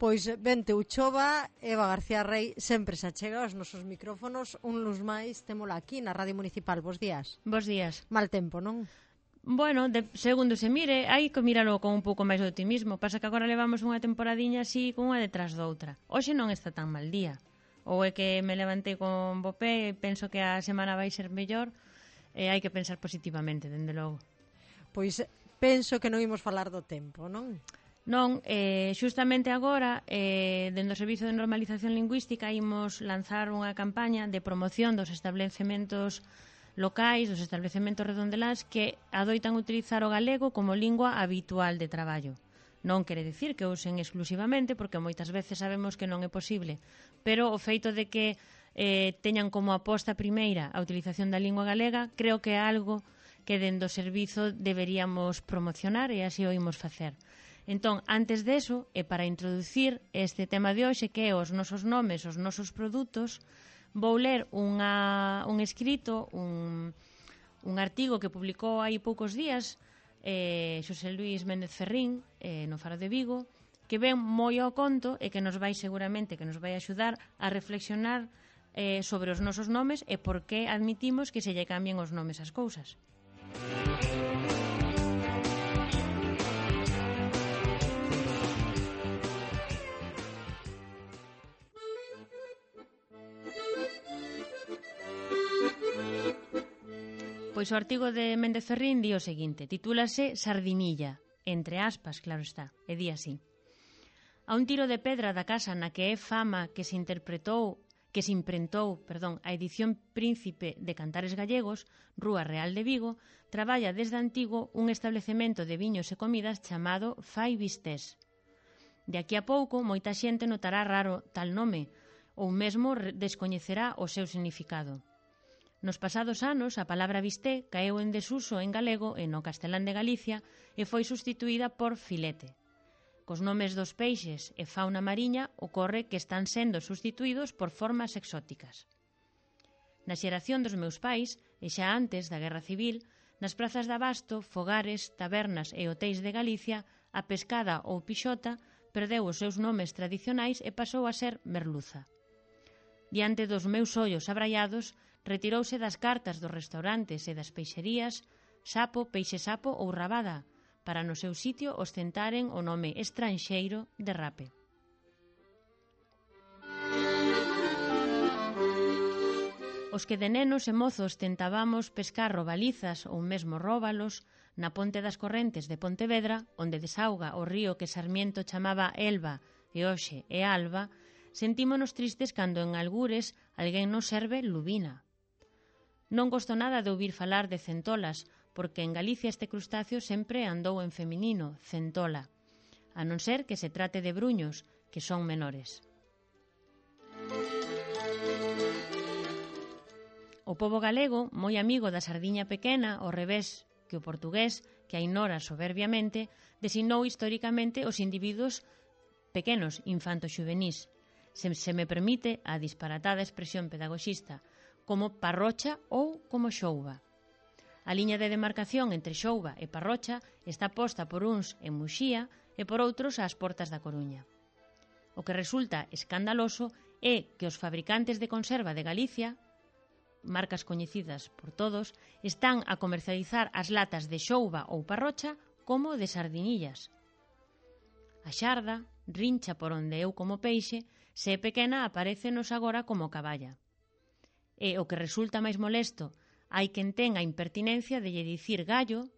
Pois vente Uchova, Eva García Rey sempre se achega aos nosos micrófonos. Un luz máis témola aquí na Radio Municipal. Bos días. Bos días. Mal tempo, non? Bueno, segundo se mire, hai que miralo con un pouco máis de optimismo. Pasa que agora levamos unha temporadiña así con unha detrás doutra. Hoxe non está tan mal día. Ou é que me levantei con bo pé e penso que a semana vai ser mellor, e hai que pensar positivamente, dende logo. Pois penso que non imos falar do tempo, non? Non, xustamente agora, dende o Servizo de Normalización Lingüística, imos lanzar unha campaña de promoción dos establecementos locais, dos establecementos redondeláns que adoitan utilizar o galego como lingua habitual de traballo. Non quere dicir que usen exclusivamente, porque moitas veces sabemos que non é posible, pero o feito de que teñan como aposta primeira a utilización da lingua galega, creo que é algo que dende o servizo deberíamos promocionar e así o imos facer. Entón, antes deso, e para introducir este tema de hoxe, que é os nosos nomes, os nosos produtos, vou ler un escrito, un artigo que publicou hai poucos días Xosé Luís Méndez Ferrín no Faro de Vigo, que ven moi ao conto e que nos vai seguramente que nos vai axudar a reflexionar sobre os nosos nomes e por que admitimos que se lle cambien os nomes ás cousas. Pois o artigo de Méndez Ferrín di o seguinte, titúlase Sardinilla, entre aspas, claro está, e di así. A un tiro de pedra da casa na que é fama que se imprentou a edición Príncipe de Cantares Gallegos, Rúa Real de Vigo, traballa desde antigo un establecemento de viños e comidas chamado Fai Vistés. De aquí a pouco, moita xente notará raro tal nome, ou mesmo descoñecerá o seu significado. Nos pasados anos, a palabra bisté caeu en desuso en galego e no castelán de Galicia e foi sustituída por filete. Cos nomes dos peixes e fauna mariña ocorre que están sendo sustituídos por formas exóticas. Na xeración dos meus pais, e xa antes da Guerra Civil, nas prazas de abasto, fogares, tabernas e hotéis de Galicia, a pescada ou pixota perdeu os seus nomes tradicionais e pasou a ser merluza. Diante dos meus ollos abraiados, retirouse das cartas dos restaurantes e das peixerías sapo, peixe sapo ou rabada, para no seu sitio ostentaren o nome estranxeiro de rape. Os que de nenos e mozos tentábamos pescar robalizas ou mesmo róbalos na ponte das Correntes de Pontevedra, onde desauga o río que Sarmiento chamaba Elba e hoxe é Alba, sentímonos tristes cando en algures alguén nos serve lubina. Non gosto nada de ouvir falar de centolas, porque en Galicia este crustáceo sempre andou en feminino, centola, a non ser que se trate de bruños, que son menores. O pobo galego, moi amigo da sardiña pequena, ao revés que o portugués, que a ignora soberbiamente, designou históricamente os individuos pequenos, infanto-xuvenís, se me permite a disparatada expresión pedagoxista, como parrocha ou como xouba. A liña de demarcación entre xouba e parrocha está posta por uns en Muxía e por outros ás portas da Coruña. O que resulta escandaloso é que os fabricantes de conserva de Galicia, marcas coñecidas por todos, están a comercializar as latas de xouba ou parrocha como de sardinillas. A xarda, rincha por onde eu como peixe, se é pequena aparécenos agora como caballa. E o que resulta máis molesto, hai quen ten a impertinencia de lle dicir gallo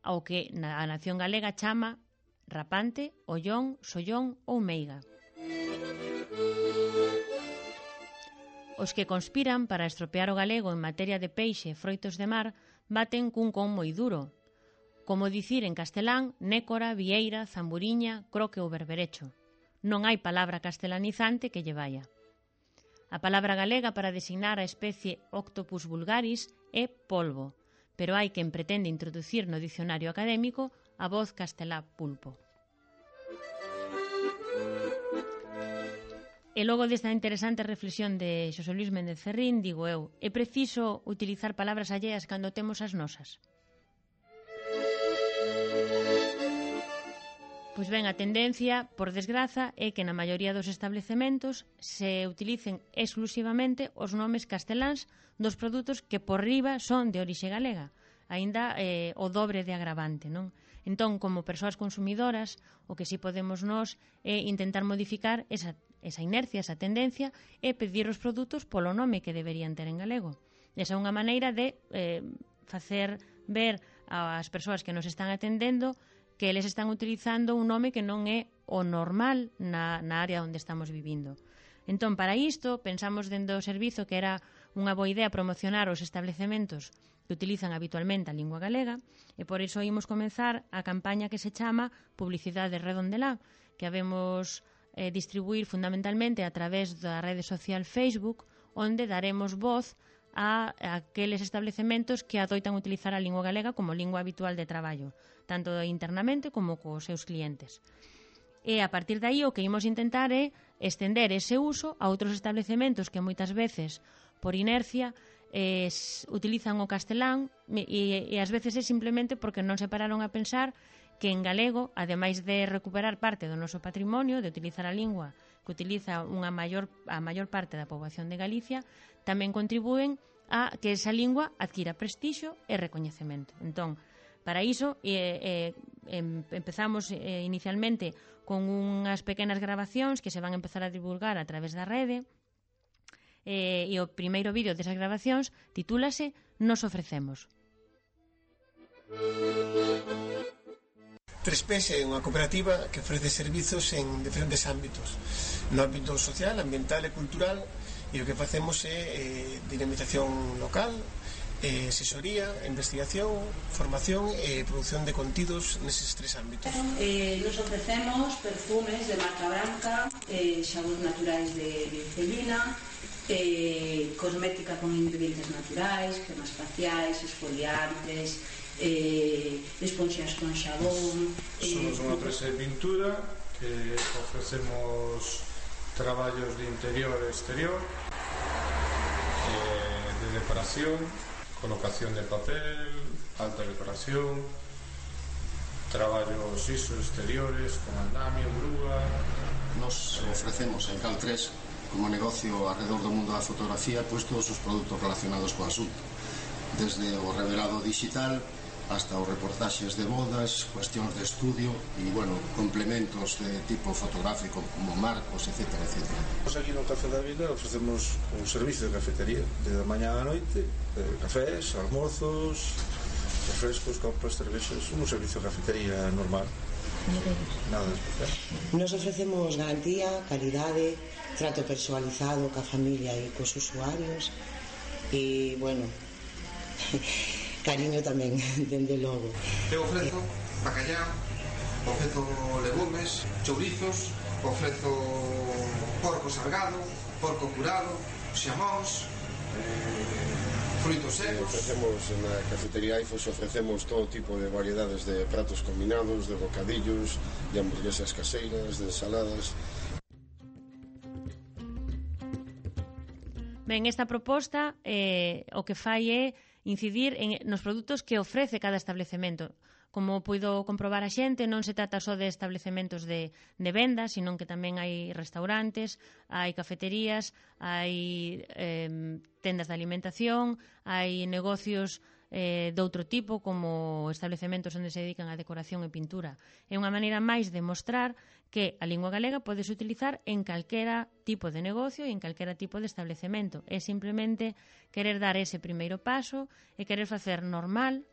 ao que a nación galega chama rapante, ollón, sollón ou meiga. Os que conspiran para estropear o galego en materia de peixe e froitos de mar baten cun con moi duro, como dicir en castelán nécora, vieira, zamburiña, croque ou berberecho. Non hai palabra castelanizante que lle vaya. A palabra galega para designar a especie Octopus vulgaris é polvo, pero hai quen pretende introducir no dicionario académico a voz castelá pulpo. E logo desta interesante reflexión de Xosé Luís Méndez Ferrín, digo eu, é preciso utilizar palabras alleas cando temos as nosas? Pois ben, a tendencia, por desgraza, é que na maioría dos establecementos se utilicen exclusivamente os nomes casteláns dos produtos que por riba son de orixe galega, aínda o dobre de agravante, non? Entón, como persoas consumidoras, o que si podemos nós é intentar modificar esa inercia, esa tendencia, e pedir os produtos polo nome que deberían ter en galego. Esa é unha maneira de facer ver ás persoas que nos están atendendo que eles están utilizando un nome que non é o normal na área onde estamos vivindo. Entón, para isto, pensamos dentro do servizo que era unha boa idea promocionar os establecementos que utilizan habitualmente a lingua galega e por iso imos comenzar a campaña que se chama Publicidade Redondelá, que habemos distribuir fundamentalmente a través da rede social Facebook, onde daremos voz a aqueles establecementos que adoitan utilizar a lingua galega como lingua habitual de traballo, tanto internamente como cos seus clientes. E a partir de aí o que imos intentar é estender ese uso a outros establecementos que moitas veces, por inercia, utilizan o castelán e ás veces é simplemente porque non se pararon a pensar que en galego, ademais de recuperar parte do noso patrimonio, de utilizar a lingua que utiliza a maior parte da poboación de Galicia, tamén contribúen a que esa lingua adquira prestixio e recoñecemento. Entón, para iso, empezamos inicialmente con unhas pequenas grabacións que se van a empezar a divulgar a través da rede, e o primeiro vídeo desas grabacións titúlase Nos ofrecemos. 3Ps é unha cooperativa que ofrece servizos en diferentes ámbitos, no ámbito social, ambiental e cultural, e o que facemos é dinamización local, asesoría, investigación, formación e produción de contidos neses tres ámbitos. Nos ofrecemos perfumes de marca branca, xabóns naturais de glicerina, cosmética con ingredientes naturais, cremas faciais, esfoliantes, esponxas con xabón. Somos unha empresa de pintura que ofrecemos traballos de interior e exterior, de decoración, colocación de papel, alta decoración, traballos exteriores con andamio, grúa. Nos ofrecemos en Cal3 como negocio alrededor do mundo da fotografía pois todos os produtos relacionados co asunto, desde o revelado digital hasta os reportaxes de bodas, cuestións de estudio e, bueno, complementos de tipo fotográfico como marcos, etc. Nos aquí no Café da Vila ofrecemos un servicio de cafetería de mañá á noite, cafés, almorzos, refrescos, copas, cervexas, un servicio de cafetería normal, nada especial. Nos ofrecemos garantía, calidade, trato persoalizado ca familia e cos usuarios e, bueno, cariño tamén, dende logo. Eu ofrezo bacallao, ofrezo legumes, chourizos, ofrezo porco salgado, porco curado, xamóns, frutos secos. Ofrecemos na cafetería Aifos, ofrecemos todo tipo de variedades de pratos combinados, de bocadillos, de hamburguesas caseiras, de ensaladas. Ben, esta proposta o que fai é incidir nos produtos que ofrece cada establecemento. Como puido comprobar a xente, non se trata só de establecementos de venda, sino que tamén hai restaurantes, hai cafeterías, hai tendas de alimentación, hai negocios de outro tipo, como establecementos onde se dedican a decoración e pintura. É unha maneira máis de mostrar que a lingua galega podes utilizar en calquera tipo de negocio e en calquera tipo de establecemento. É simplemente querer dar ese primeiro paso e querer facer normal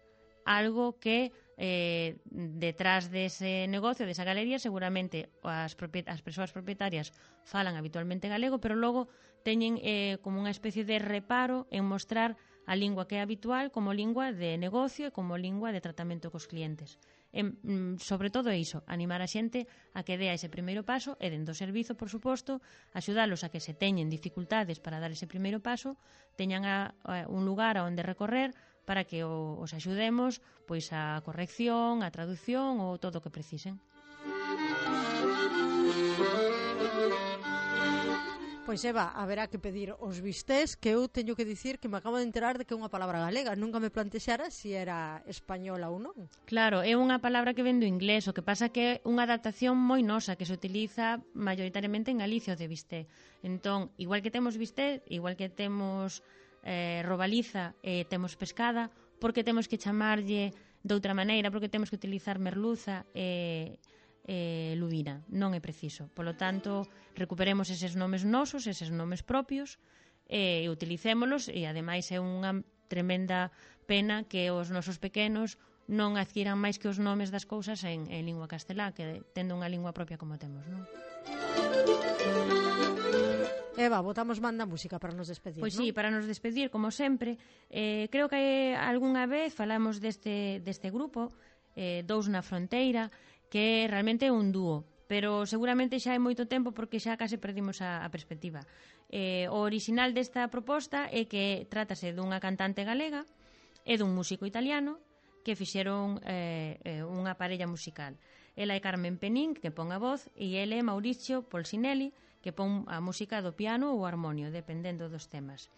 algo que detrás dese negocio, desa galería, seguramente as persoas propietarias falan habitualmente galego, pero logo teñen como unha especie de reparo en mostrar a lingua que é habitual como lingua de negocio e como lingua de tratamento cos clientes. Sobre todo iso, animar a xente a que dea ese primeiro paso e dentro do servizo, por suposto, axudalos a que se teñen dificultades para dar ese primeiro paso, teñan un lugar onde recorrer para que os axudemos pois a corrección, a traducción ou todo o que precisen. Pois Eva, haberá que pedir os bistés, que eu teño que dicir que me acabo de enterar de que é unha palabra galega. Nunca me plantexara se era española ou non. Claro, é unha palabra que ven do inglés, o que pasa que é unha adaptación moi nosa que se utiliza maioritariamente en Galicia, o de bisté. Entón, igual que temos bisté, igual que temos robaliza e temos pescada, porque temos que chamarlle de outra maneira, porque temos que utilizar merluza e lubina, non é preciso. Polo tanto, recuperemos eses nomes nosos, eses nomes propios, e utilicémolos, e ademais é unha tremenda pena que os nosos pequenos non adquiran máis que os nomes das cousas en lingua castelá, que tendo unha lingua propia como temos, non? Eva, botamos banda música para nos despedir, Pois non? sí, para nos despedir, como sempre. Creo que algunha vez falamos deste grupo, Dous na Fronteira, que realmente é un dúo, pero seguramente xa hai moito tempo porque xa case perdimos a perspectiva. O original desta proposta é que trátase dunha cantante galega e dun músico italiano que fixeron unha parella musical. Ela é Carmen Penín, que pon a voz, e ele é Mauricio Polsinelli, que pon a música do piano ou armonio, dependendo dos temas.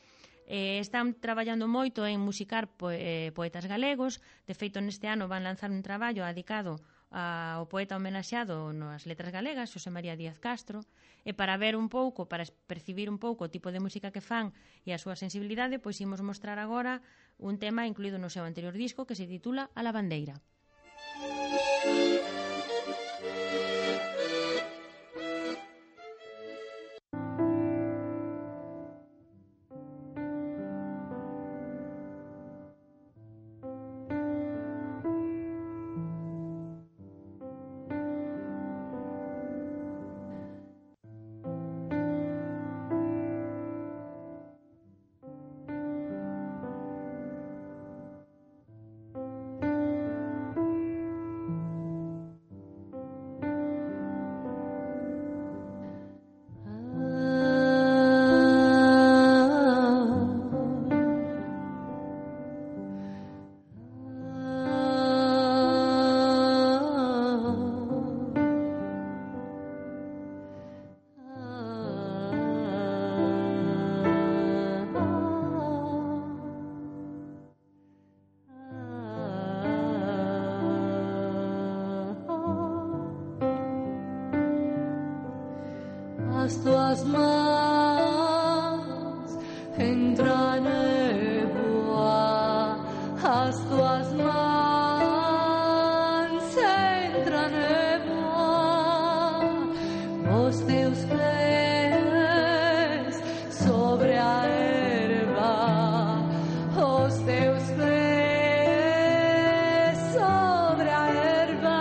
Están traballando moito en musicar poetas galegos. De feito, neste ano van lanzar un traballo dedicado ao poeta homenaxeado nas letras galegas, Xosé María Díaz Castro, e para ver un pouco, para percibir un pouco o tipo de música que fan e a súa sensibilidade, pois imos mostrar agora un tema incluído no seu anterior disco que se titula A Lavandeira. As tuas mãos entram névoa, as tuas mãos entram névoa, os teus pés sobre a erva, os teus pés sobre a erva.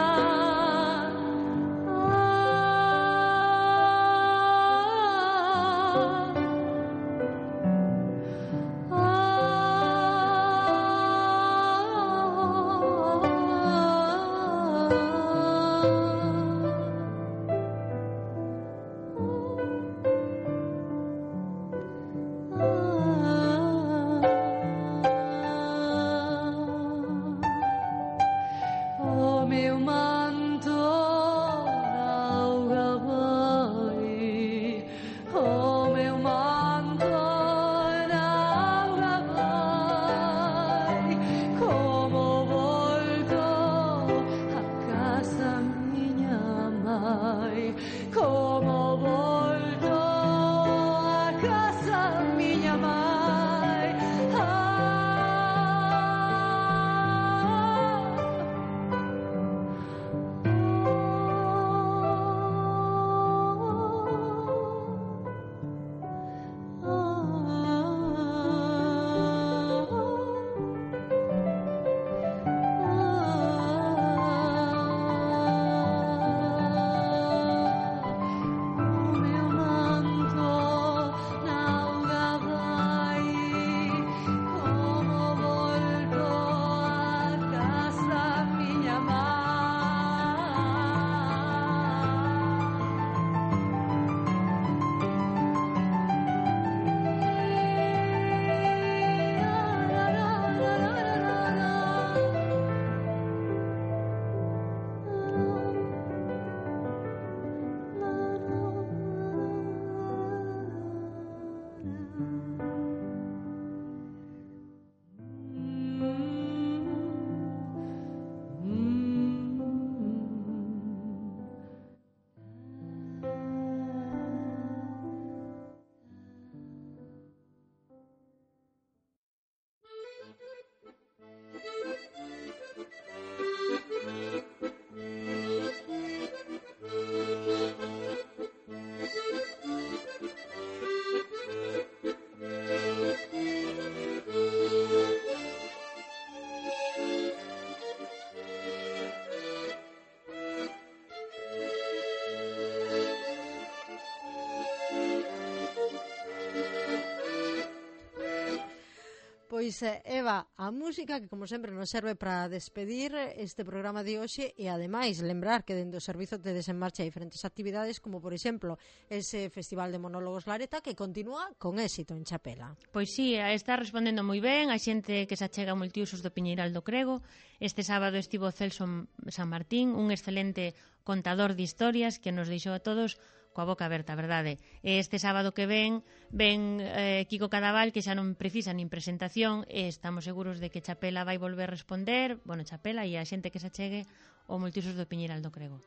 O meu manto auga vai, o meu manto auga vai, como volto a casa minha mãe, como volto a casa minha mãe. O meu Pois, Eva, a música que como sempre nos serve para despedir este programa de hoxe e ademais lembrar que dentro do servizo tedes en marcha diferentes actividades como por exemplo ese Festival de Monólogos Lareta que continúa con éxito en Chapela. Pois sí, está respondendo moi ben a xente que se achega ao multiusos do Piñeiral do Crego. Este sábado estivo Celso San Martín, un excelente contador de historias que nos deixou a todos coa boca aberta, a verdade. Este sábado que ven Kiko Cadaval, que xa non precisa nin presentación, e estamos seguros de que Chapela vai volver a responder, bueno, Chapela e a xente que se achegue ao multiusos do Piñeiral do Crego.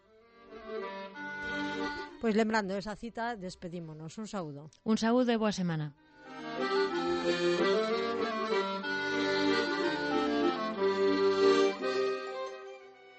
Pois lembrando esa cita, despedímonos. Un saúdo. Un saúdo e boa semana.